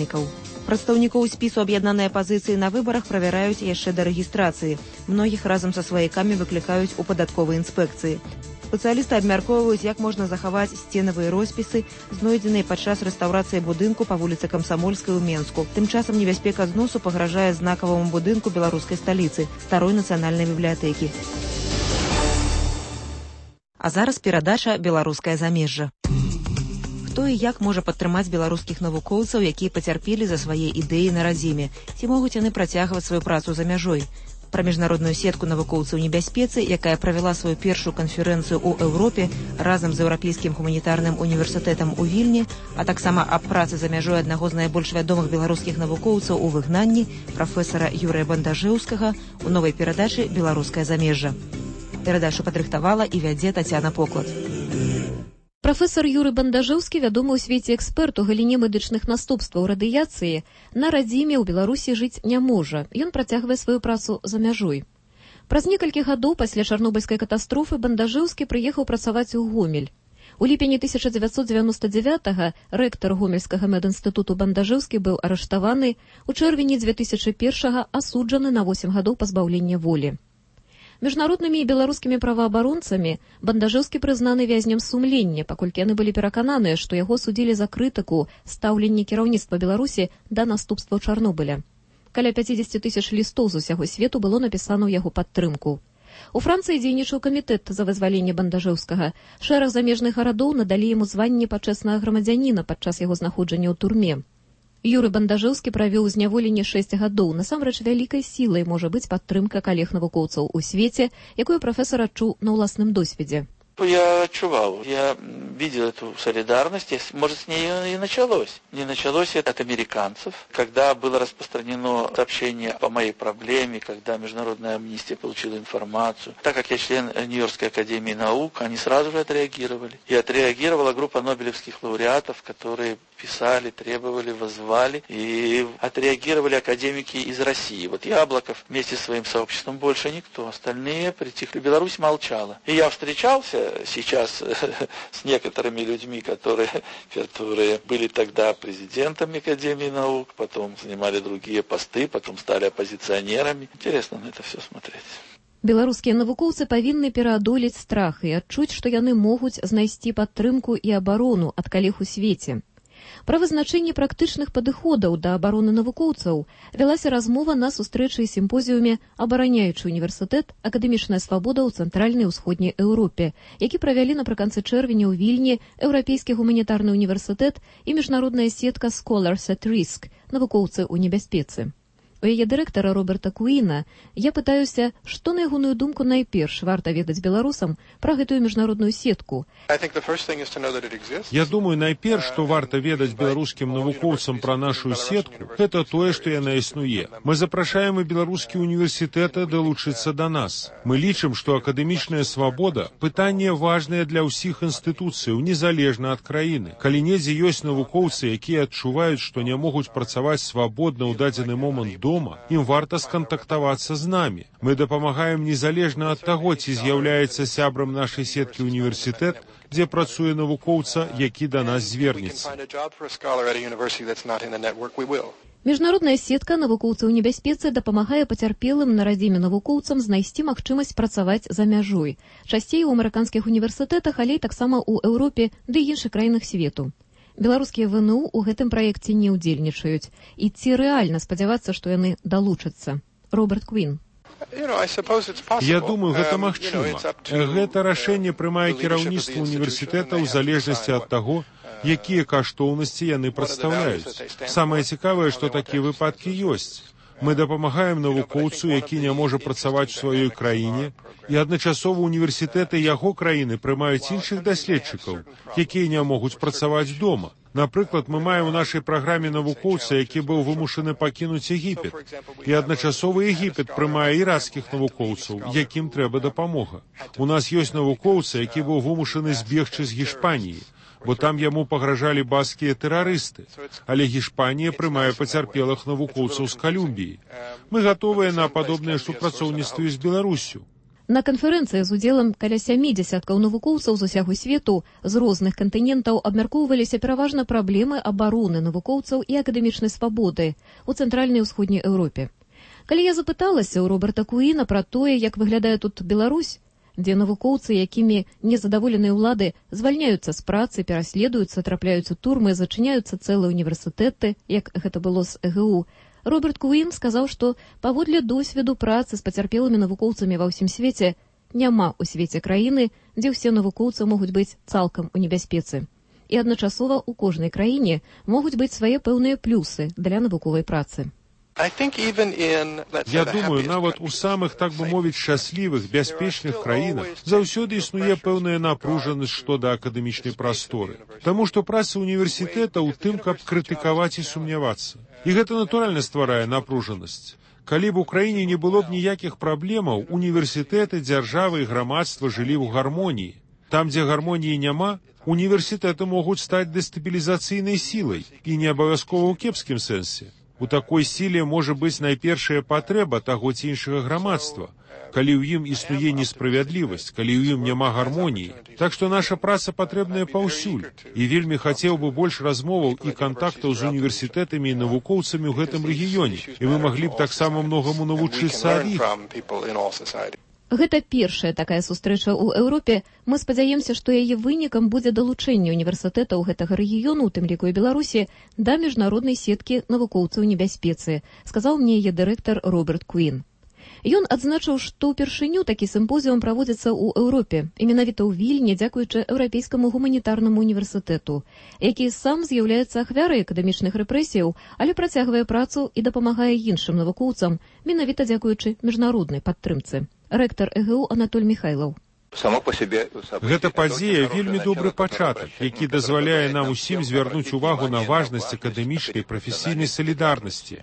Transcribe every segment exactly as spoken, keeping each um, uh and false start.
галасавальнікаў. Прадстаўнікоў спісу аб'яднаныя пазіцыі на выбарах правяраюць яшчэ да рэгістрацыі. Многіх разам са сваякамі выклікаюць у падатковай інспекцыі. Спецыялісты абмяркоўваюць, як можна захаваць сценавыя роспісы, знойдзеныя падчас рэстаўрацыі будынку па вуліцы Камсамольскай у Менску. Тым часам небяспека зносу пагражае знакаваму будынку беларускай сталіцы, старой нацыянальнай бібліятэкі. А зараз перадача «Беларускае замежжа». Хто і як можа падтрымаць беларускіх навукоўцаў, якія пацярпелі за свае ідэі на радзіме? Ці могуць яны працягваць сваю працу за мяжой? Пра міжнародную сетку навукоўцаў у небяспецы, якая правяла сваю першую канферэнцыю ў Еўропе разам з Еўрапейскім гуманітарным універсітэтам у Вільні, а таксама аб працы за мяжой аднаго з найбольш вядомых беларускіх навукоўцаў у выгнанні, прафесара Юрыя Бандажэўскага, у новай перадачы «Беларускае замежжа». Перадачу падрыхтавала і вядзе Тацяна Поклад. Прафесар Юрый Бандажэўскі, вядомы ў свеце эксперт у галіне медычных наступстваў радыяцыі, на радзіме ў Беларусі жыць не можа. Ён працягвае сваю працу за мяжой. Праз некалькі гадоў пасля чарнобыльскай катастрофы Бандажэўскі прыехаў працаваць у Гомель. У ліпені тысяча дзевяцьсот дзевяноста дзевятага рэктар гомельскага медінстытуту Бандажэўскі быў арыштаваны, у чэрвені дзве тысячы першага асуджаны на восем гадоў пазбаўлення волі. Міжнароднымі і беларускімі праваабаронцамі Бандажэўскі прызнаны вязнем сумлення, паколькі яны былі перакананыя, што яго судзілі за крытыку стаўленні кіраўніцтва Беларусі да наступстваў Чарнобыля. Каля пяцьдзесят тысяч лістоў з усяго свету было напісана ў яго падтрымку. У Францыі дзейнічаў камітэт за вызваленне Бандажэўскага. Шэраг замежных гарадоў надалі яму званне пачэснага грамадзяніна падчас яго знаходжання ў турме. Юрый Бандажэўскі правёў у зняволенні шэсць гадоў. Насамрэч вялікай сілай можа быць падтрымка калег-навукоўцаў у свеце, якую прафесар адчуў на ўласным досведзе. Я отчувал, я видел эту солидарность, может, с ней и началось. Не началось это от американцев, когда было распространено сообщение по моей проблеме, когда Международная амнистия получила информацию. Так как я член Нью-Йоркской академии наук, они сразу же отреагировали. И отреагировала группа нобелевских лауреатов, которые писали, требовали, воззвали, и отреагировали академики из России. Вот Яблоков вместе с своим сообществом, больше никто. Остальные притихли. Беларусь молчала. И я встречался сейчас с некоторыми людьми, которые, которые были тогда президентами Академии наук, потом занимали другие посты, потом стали оппозиционерами. Интересно на это все смотреть. Беларускія навукоўцы павінны пераадолець страх і адчуць, што яны могуць знайсці падтрымку і абарону ад калег у свеце. Пра вызначэнне практычных падыходаў да абароны навукоўцаў вялася размова на сустрэчы і сімпозіуме «Абараняючы універсітэт. Акадэмічная свабода ў цэнтральнай і ўсходняй Еўропе», які правялі напрыканцы чэрвеня ў Вільні Еўрапейскі гуманітарны універсітэт і міжнародная сетка «Scholars at Risk» – навукоўцы ў небяспецы. У яе дырэктара Роберта Куіна я пытаюся, што, на ягоную думку, найперш варта ведаць беларусам пра гэтую міжнародную сетку. Я думаю, найперш, што варта ведаць беларускім навукоўцам пра нашу сетку, гэта тое, што яна існуе. Мы запрашаем і беларускія універсітэты далучыцца да нас. Мы лічым, што акадэмічная свабода – пытанне важнае для ўсіх інстытуцыяў, незалежна ад краіны. Калі недзе ёсць навукоўцы, якія адчуваюць, што не могуць працаваць свабодна ў дадзены момант дома, ім варта скантактавацца з намі. Мы дапамагаем незалежна ад таго, ці з'яўляецца сябрам нашай сеткі універсітэт, дзе працуе навукоўца, які да нас звернецца. Міжнародная сетка навукоўцаў у небяспецы дапамагае пацярпелым на радзіме навукоўцам знайсці магчымасць працаваць за мяжой. Часцей у амерыканскіх універсітэтах, але таксама ў Еўропе ды іншых краінах свету. Беларускія ВНУ ў гэтым праекце не ўдзельнічаюць. І ці рэальна спадзявацца, што яны далучацца? Роберт Куін. Я думаю, гэта магчыма. Гэта рашэнне прымае кіраўніцтва універсітэта ў залежнасці ад таго, якія каштоўнасці яны прадстаўляюць. Самае цікавае, што такія выпадкі ёсць. Мы дапамагаем навукоўцу, які не можа працаваць у сваёй краіне, і адначасова універсітэты яго краіны прымаюць іншых даследчыкаў, якія не могуць працаваць дома. Напрыклад, мы маем у нашай праграме навукоўца, які быў вымушаны пакінуць Егіпет. І адначасова Егіпет прымае іракскіх навукоўцаў, якім трэба дапамога. У нас ёсць навукоўца, які быў вымушаны збегчы з Гішпаніі, бо там яму пагражалі баскія тэрарысты. Але Гішпанія прымае пацярпелых навукоўцаў з Калумбіі. Мы гатовыя на падобныя супрацоўніцтвы з Беларуссю. На канферэнцыі з удзелам каля сямі дзясяткаў навукоўцаў з усяго свету з розных кантынентаў абмяркоўваліся пераважна праблемы абароны навукоўцаў і акадэмічнай свабоды ў цэнтральнай і ўсходняй Еўропе. Калі я запыталася ў Роберта Куіна пра тое, як выглядае тут Беларусь, дзе навукоўцы, якімі незадаволеныя ўлады звальняюцца з працы, пераследуюцца, трапляюць у турмы, зачыняюцца цэлыя універсітэты, як гэта было з э гэ у, Роберт Куін сказаў, што паводле досведу працы з пацярпелымі навукоўцамі ва ўсім свеце няма ў свеце краіны, дзе ўсе навукоўцы могуць быць цалкам у небяспецы. І адначасова ў кожнай краіне могуць быць свае пэўныя плюсы для навуковай працы. Я думаю, нават у самых, так бы мовіць, шчаслівых, бяспечных краінах заўсёды існуе пэўная напружанасць што да акадэмічнай прасторы. Таму што праца універсітэта ў тым, каб крытыкаваць і сумнявацца. І гэта натуральна стварае напружанасць. Калі б у краіне не было б ніякіх праблемаў, універсітэты, дзяржавы і грамадства жылі ў гармоніі. Там, дзе гармоніі няма, універсітэты могуць стаць дэстабілізацыйнай сілай, і не абавязкова ў кепскім сэнсе. У такой сіле можа быць найпершая патрэба таго ці іншага грамадства, калі ў ім існуе несправядлівасць, калі ў ім няма гармоніі. Так што наша праца патрэбная паўсюль, і вельмі хацеў бы больш размоваў і кантактаў з універсітэтамі і навукоўцамі ў гэтым рэгіёне, і мы маглі б таксама многаму навучыцца ад іх. Гэта першая такая сустрэча ў Еўропе. Мы спадзяемся, што яе вынікам будзе далучэнне універсітэтаў гэтага рэгіёну, у тым ліку і Беларусі, да міжнароднай сеткі навукоўцаў небяспецы, сказаў мне яе дырэктар Роберт Куін. Ён адзначыў, што ўпершыню такі сімпозіум праводзіцца ў Еўропе, і менавіта ў Вільні, дзякуючы Еўрапейскаму гуманітарнаму універсітэту, які сам з'яўляецца ахвярай акадэмічных рэпрэсіяў, але працягвае працу і дапамагае іншым навукоўцам, менавіта дзякуючы міжнароднай падтрымцы. Рэктар э гэ у Анатоль Міхайлаў. Гэта падзея вельмі добры пачатак, які дазваляе нам усім звярнуць увагу на важнасць акадэмічнай прафесійнай салідарнасці.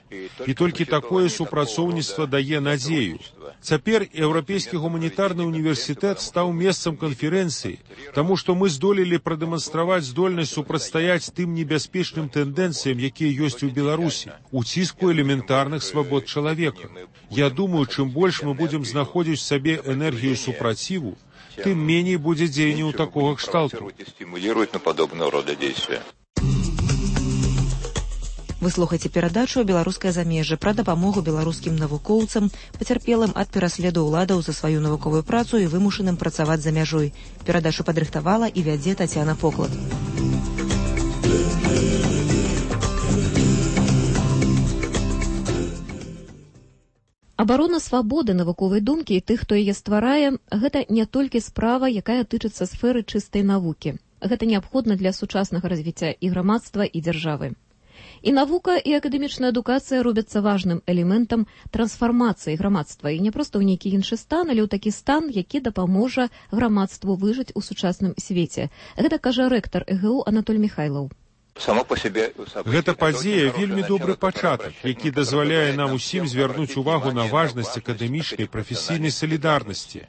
І толькі такое супрацоўніцтва дае надзею. Цяпер Еўрапейскі гуманітарны універсітэт стаў месцам канферэнцыі, таму што мы здолелі прадэманстраваць здольнасць супрацьстаяць тым небяспечным тэндэнцыям, якія ёсць у Беларусі, у ціску элементарных свабод чалавека. Я думаю, чым больш мы будзем знаходзіць в сабе энергію супраціву, тым меней будзе дзеянняў такога кшталту. Вы слухаеце перадачу «Беларускае замежжа» пра дапамогу беларускім навукоўцам, пацярпелым ад пераследу ўладаў за сваю навуковую працу і вымушаным працаваць за мяжой. Перадачу падрыхтавала і вядзе Тацяна Поклад. Абарона свабоды навуковай думкі і тых, хто яе стварае, гэта не толькі справа, якая тычыцца сферы чыстай навукі. Гэта неабходна для сучаснага развіцця і грамадства, і дзяржавы. І навука, і акадэмічная адукацыя робяцца важным элементам трансфармацыі грамадства, і не проста ў нейкі іншы стан, але ў такі стан, які дапаможа грамадству выжыць у сучасным свеце. Гэта кажа рэктар э гэ у Анатоль Міхайлаў. Гэта падзея вельмі добры пачатак, які дазваляе нам усім звярнуць увагу на важнасць акадэмічнай прафесійнай салідарнасці.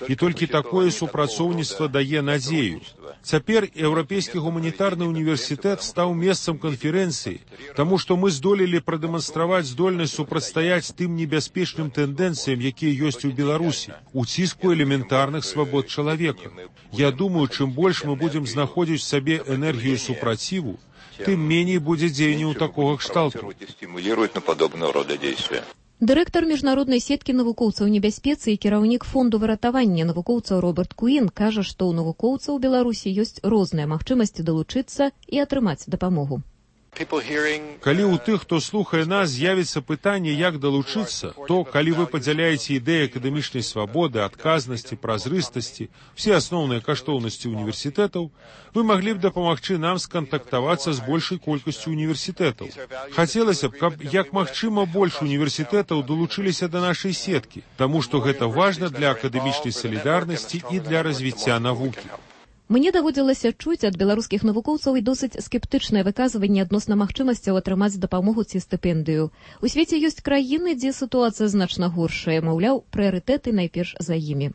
І толькі такое супрацоўніцтва дае надзею. Цяпер Еўрапейскі гуманітарны універсітэт стаў месцам канферэнцыі, таму што мы здолелі прадэманстраваць здольнасць супрацьстаяць тым небяспечным тэндэнцыям, якія ёсць у Беларусі, у ціску элементарных свабод чалавека. Я думаю, чым больш мы будзем знаходзіць в сабе энергію супраціву, тым меней будзе дзеянняў такога кшталту. Дырэктар міжнароднай сеткі навукоўцаў небяспецы і кіраўнік фонду выратавання навукоўцаў Роберт Куін кажа, што ў навукоўцаў у Беларусі ёсць розныя магчымасці далучыцца і атрымаць дапамогу. Калі ў тых, хто слухае нас, з'явіцца пытанне, як далучыцца, то, калі вы падзяляеце ідэі акадэмічнай свабоды, адказнасці, празрыстасці, все асноўныя каштоўнасці універсітэтаў, вы маглі б дапамагчы нам скантактавацца з большай колькасцю універсітэтаў. Хацелася б, каб як магчыма больш універсітэтаў далучыліся да нашай сеткі, таму што гэта важна для акадэмічнай салідарнасці і для развіцця навукі. Мне даводзілася чуць ад беларускіх навукоўцаў і досыць скептычнае выказванне адносна магчымасцяў атрымаць дапамогу ці стыпендыю. У свеце ёсць краіны, дзе сітуацыя значна горшая, маўляў, прыярытэты найперш за імі.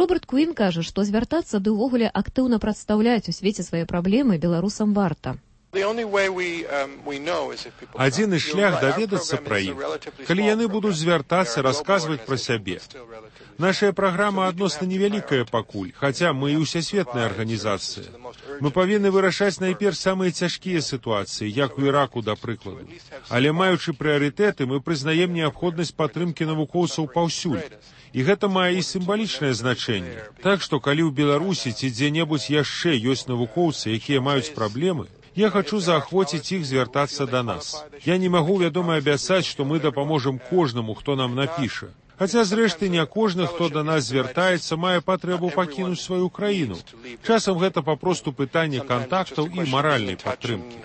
Роберт Куін кажа, што звяртацца ды ўвогуле актыўна прадстаўляць у свеце свае праблемы беларусам варта. Адзіны шлях даведацца пра іх, калі яны будуць звяртацца, расказваць пра сябе. Нашая праграма адносна невялікая пакуль, хаця мы і ўсесветная арганізацыя. Мы павінны вырашаць найперш самыя цяжкія сітуацыі, як у Іраку, да прыкладу. Але маючы прыярытэты, мы прызнаем неабходнасць падтрымкі навукоўцаў паўсюль. І гэта мае і сімвалічнае значэнне. Так што, калі ў Беларусі ці дзе-небудзь яшчэ ёсць навукоўцы, якія маюць праблемы, я хочу заахвоціць іх звяртацца да нас. Я не магу, вядома, абяцаць, што мы дапаможам кожнаму, хто нам напіша. Хаця, зрэшты, не кожны, хто да нас звяртаецца, мае патрэбу пакінуць сваю краіну. Часам гэта папросту пытанне кантактаў і маральнай падтрымкі.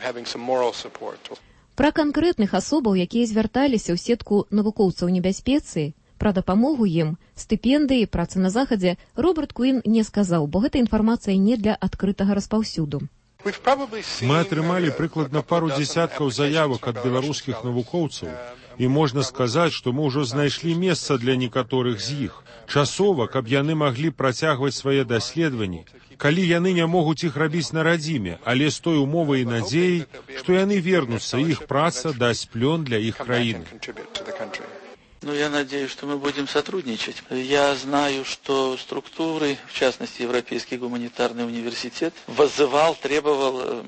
Пра канкрэтных асобаў, якія звярталіся ў сетку навукоўцаў небяспецы, пра дапамогу ім, стыпендыі, працы на захадзе, Роберт Куін не сказаў, бо гэта інфармацыя не для адкрытага распаўсюду. Мы атрымалі прыкладна пару дзесяткаў заявак ад беларускіх навукоўцаў, і можна сказаць, што мы ўжо знайшлі месца для некаторых з іх. Часова, каб яны маглі працягваць свае даследаванні, калі яны не могуць іх рабіць на радзіме, але з той умовай і надзеяй, што яны вернуцца, іх праца дасць плён для іх краіны. Ну, я надеюсь, что мы будем сотрудничать. Я знаю, что структуры, в частности, Европейский гуманитарный университет, воззывал, требовал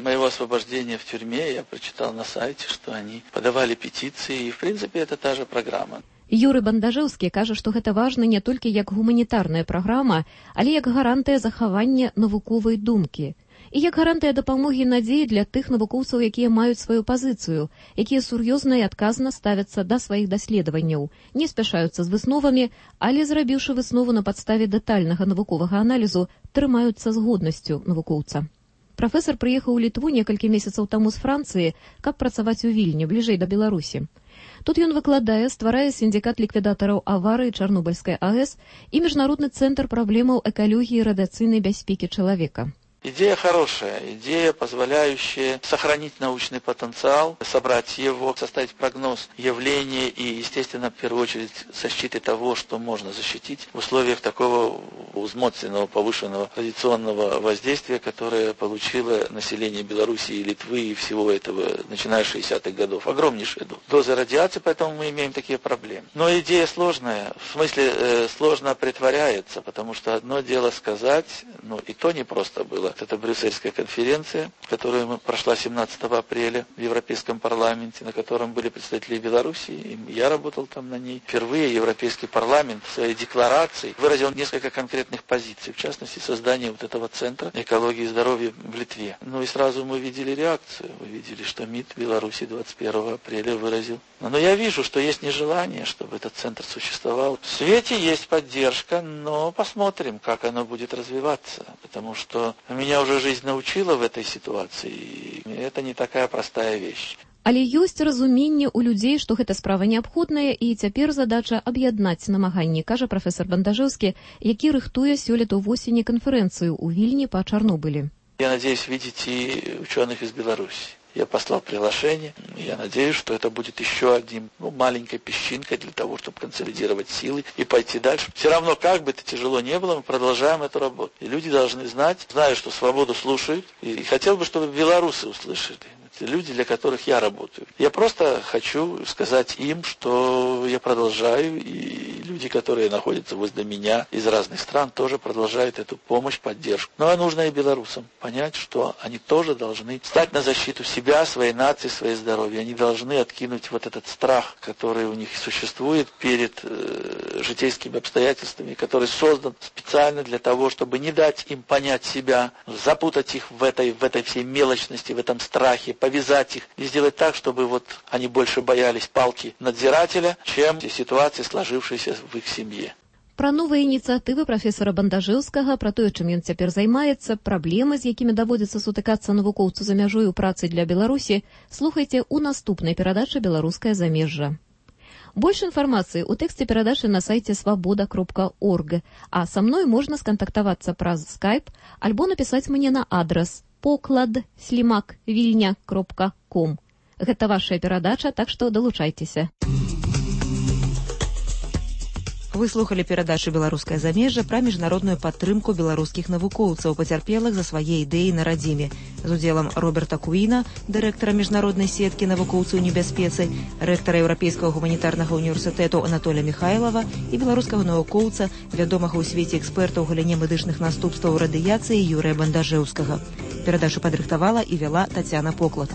моего освобождения в тюрьме. Я прочитал на сайте, что они подавали петиции, и, в принципе, это та же программа. Юры Бандажэўскі кажа, што гэта важна не толькі як гуманітарная праграма, але як гарантыя захавання навуковай думкі. І як гарантыя дапамогі і надзеі для тых навукоўцаў, якія маюць сваю пазіцыю, якія сур'ёзна і адказна ставяцца да сваіх даследаванняў, не спяшаюцца з высновамі, але, зрабіўшы выснову на падставе дэтальнага навуковага аналізу, трымаюцца з годнасцю навукоўца. Прафесар прыехаў у Літву некалькі месяцаў таму з Францыі, каб працаваць у Вільні, бліжэй да Беларусі. Тут ён выкладае, стварае сіндикат ліквідатараў аварыі Чарнобыльскай АЭС і Міжнародны цэнтр праблемаў экалогіі і радыацыйнай бяспекі чалавека. Идея хорошая, идея, позволяющая сохранить научный потенциал, собрать его, составить прогноз явления и, естественно, в первую очередь, защиты того, что можно защитить в условиях такого узмотренного, повышенного радиационного воздействия, которое получило население Беларуси и Литвы и всего этого, начиная с шестидесятых годов. Огромнейшая доза радиации, поэтому мы имеем такие проблемы. Но идея сложная, в смысле э, сложно притворяется, потому что одно дело сказать, ну и то не просто было. Это Брюссельская конференция, которая прошла семнадцатого апреля в Европейском парламенте, на котором были представители Беларуси, и я работал там на ней. Впервые Европейский парламент в своей декларации выразил несколько конкретных позиций, в частности, создание вот этого центра экологии и здоровья в Литве. Ну и сразу мы видели реакцию, мы видели, что МИД Беларуси двадцать первого апреля выразил. Но я вижу, что есть нежелание, чтобы этот центр существовал. В свете есть поддержка, но посмотрим, как оно будет развиваться, потому что меня уже жизнь научила в этой ситуации, и это не такая простая вещь. Але ёсць разуменне ў людзей, што гэта справа неабходная, і цяпер задача аб'яднаць намаганні, кажа прафесор Бандажэўскі, які рыхтуе сёлета восені канферэнцыю ў Вільні па Чарнобылі. Я надеюсь видеть и ученых из Беларуси. Я послал приглашение. Я надеюсь, что это будет еще одним, ну, маленькой песчинкой для того, чтобы консолидировать силы и пойти дальше. Все равно, как бы это тяжело не было, мы продолжаем эту работу. И люди должны знать, знаю, что свободу слушают, и хотел бы, чтобы белорусы услышали. Это люди, для которых я работаю. Я просто хочу сказать им, что я продолжаю, и люди, которые находятся возле меня из разных стран, тоже продолжают эту помощь, поддержку. Но нужно и белорусам понять, что они тоже должны стать на защиту себя, своей нации, своей здоровья. Они должны откинуть вот этот страх, который у них существует перед э, житейскими обстоятельствами, который создан специально для того, чтобы не дать им понять себя, запутать их в этой, в этой всей мелочности, в этом страхе, повязать их и сделать так, чтобы вот они больше боялись палки надзирателя, чем ситуации, сложившейся в их семье. Пра новыя ініцыятывы прафесара Бандажэўскага, пра тое, чым ён цяпер займаецца, праблемы, з якімі даводзіцца сутыкацца навукоўцу за мяжой у працы для Беларусі, слухайце ў наступнай перадачы «Беларускае замежжа». Больш інфармацыі ў тэксце перадачы на сайце свабода кропка орг, а са мной можна скантактавацца праз скайп альбо напісаць мне на адрас поклад слімак вільня кропка ком. Гэта вашая перадача, так што далучайцеся. Вы слухали перадачу «Беларускае замежжа» пра міжнародную падтрымку беларускіх навукоўцаў, пацярпелых за свае ідэі на радзіме, з удзелам Роберта Куіна, дырэктара міжнароднай сеткі навукоўцаў у небяспецы, рэктара Еўрапейскага гуманітарнага універсітэту Анатоля Михайлова і беларускага навукоўца, вядомага ў свеце эксперта ў галіне медычных наступстваў радыяцыі Юрыя Бандажэўскага. Перадачу падрыхтавала і вяла Тацяна Поклад.